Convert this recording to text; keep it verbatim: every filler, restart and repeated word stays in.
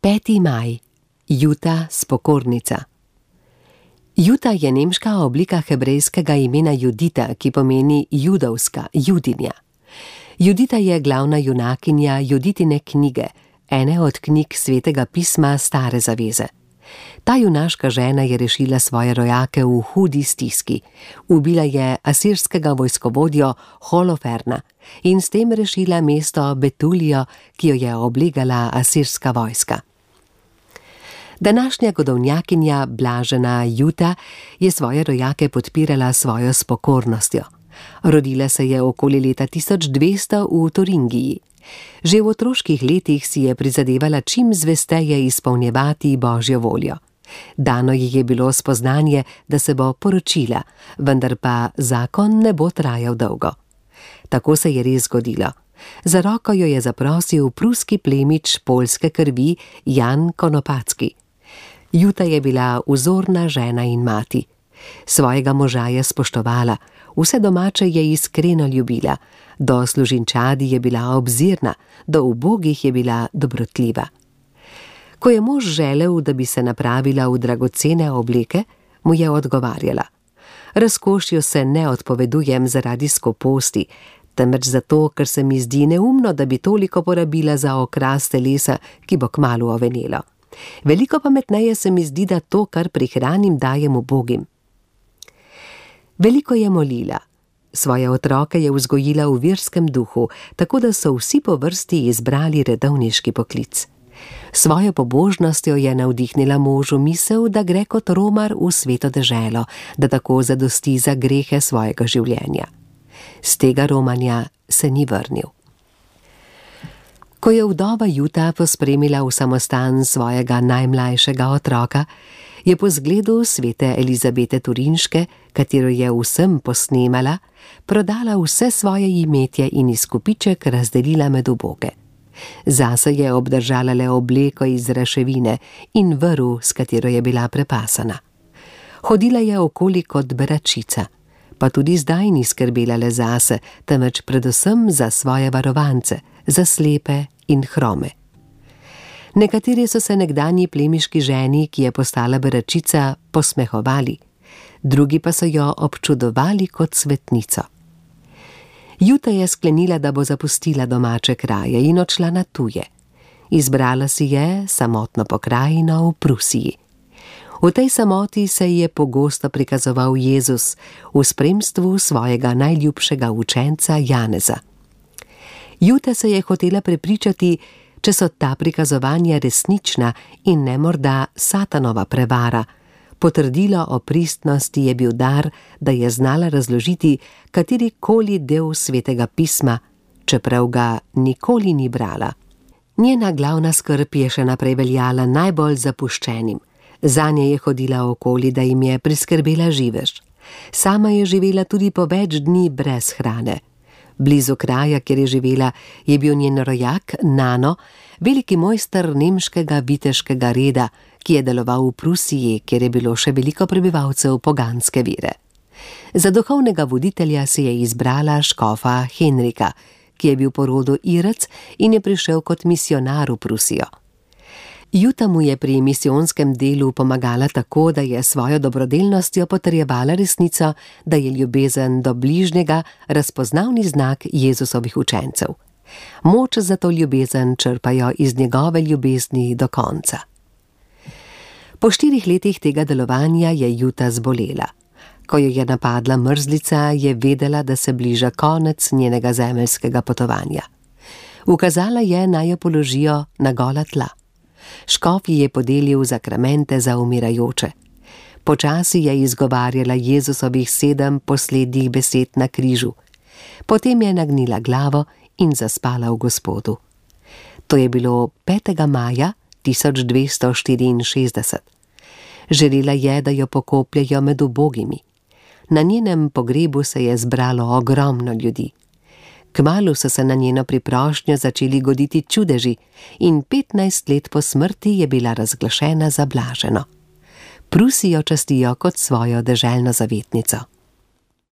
peti maj. Juta spokornica. Juta je nemška oblika hebrejskega imena Judita, ki pomeni judovska, judinja. Judita je glavna junakinja Juditine knjige, ene od knjig Svetega pisma Stare zaveze. Ta junaška žena je rešila svoje rojake v hudi stiski. Ubila je asirskega vojskovodjo Holoferna in s tem rešila mesto Betulijo, ki jo je oblegala asirska vojska. Današnja godovnjakinja blažena Juta je svoje rojake podpirala svojo spokornostjo. Rodila se je okoli leta tisoč dvesto v Turingiji. Že v otroških letih si je prizadevala čim zvesteje izpolnjevati Božjo voljo. Dano ji je bilo spoznanje, da se bo poročila, vendar pa zakon ne bo trajal dolgo. Tako se je res zgodilo. Za roko jo je zaprosil pruski plemič poljske krvi Jan Konopacki. Juta je bila vzorna žena in mati. Svojega moža je spoštovala, vse domače je iskreno ljubila, do služinčadi je bila obzirna, do ubogih je bila dobrotljiva. Ko je mož želel, da bi se napravila v dragocene obleke, mu je odgovarjala: razkošju se ne odpovedujem zaradi skoposti, temveč zato, ker se mi zdi neumno, da bi toliko porabila za okras telesa, ki bo kmalu ovenelo. Veliko pametneje se mi zdi, da to, kar prihranim, dajem ubogim. Veliko je molila. Svoje otroke je vzgojila v verskem duhu, tako da so vsi po vrsti izbrali redovniški poklic. Svojo pobožnostjo je navdihnila možu misel, da gre kot romar v sveto deželo, da tako zadosti za grehe svojega življenja. Z tega romanja se ni vrnil. Ko je vdova Juta pospremila v samostan svojega najmlajšega otroka, je po zgledu svete Elizabete Turinške, katero je vsem posnemala, prodala vse svoje imetje in izkupiček razdelila med uboge. Zase je obdržala le obleko iz raševine in vrv, s katero je bila prepasana. Hodila je okoli kot beračica, pa tudi zdaj ni skrbela le zase, temveč predvsem za svoje varovance, za slepe in hrome. Nekateri so se nekdanji plemiški ženi, ki je postala beračica, posmehovali, drugi pa so jo občudovali kot svetnico. Juta je sklenila, da bo zapustila domače kraje in odšla na tuje. Izbrala si je samotno pokrajino v Prusiji. V tej samoti se je pogosto prikazoval Jezus v spremstvu svojega najljubšega učenca Janeza. Juta se je hotela prepričati, če so ta prikazovanja resnična in ne morda satanova prevara. Potrdilo o pristnosti je bil dar, da je znala razložiti katerikoli del Svetega pisma, čeprav ga nikoli ni brala. Njena glavna skrb je še naprej veljala najbolj zapuščenim. Zanje je hodila okoli, da jim je priskrbela živež. Sama je živela tudi po več dni brez hrane. Blizu kraja, kjer je živela, je bil njen rojak Nano, veliki mojster nemškega viteškega reda, ki je deloval v Prusiji, kjer je bilo še veliko prebivalcev poganske vere. Za duhovnega voditelja si je izbrala škofa Henrika, ki je bil po rodu Irec in je prišel kot misionar v Prusijo. Juta mu je pri misijonskem delu pomagala tako, da je svojo dobrodelnostjo potrjevala resnico, da je ljubezen do bližnjega razpoznavni znak Jezusovih učencev. Moč za to ljubezen črpajo iz njegove ljubezni do konca. Po štirih letih tega delovanja je Juta zbolela. Ko jo je napadla mrzlica, je vedela, da se bliža konec njenega zemeljskega potovanja. Ukazala je, naj jo položijo na gola tla. Škof ji je podelil zakramente za umirajoče. Počasi je izgovarjala Jezusovih sedem poslednjih besed na križu. Potem je nagnila glavo in zaspala v Gospodu. To je bilo petega maja tisoč dvesto štiriinšestdeset. Želela je, da jo pokopljejo med ubogimi. Na njenem pogrebu se je zbralo ogromno ljudi. Kmalu so se na njeno priprošnjo začeli goditi čudeži in petnajst let po smrti je bila razglašena za blaženo. Prusijo častijo kot svojo deželno zavetnico.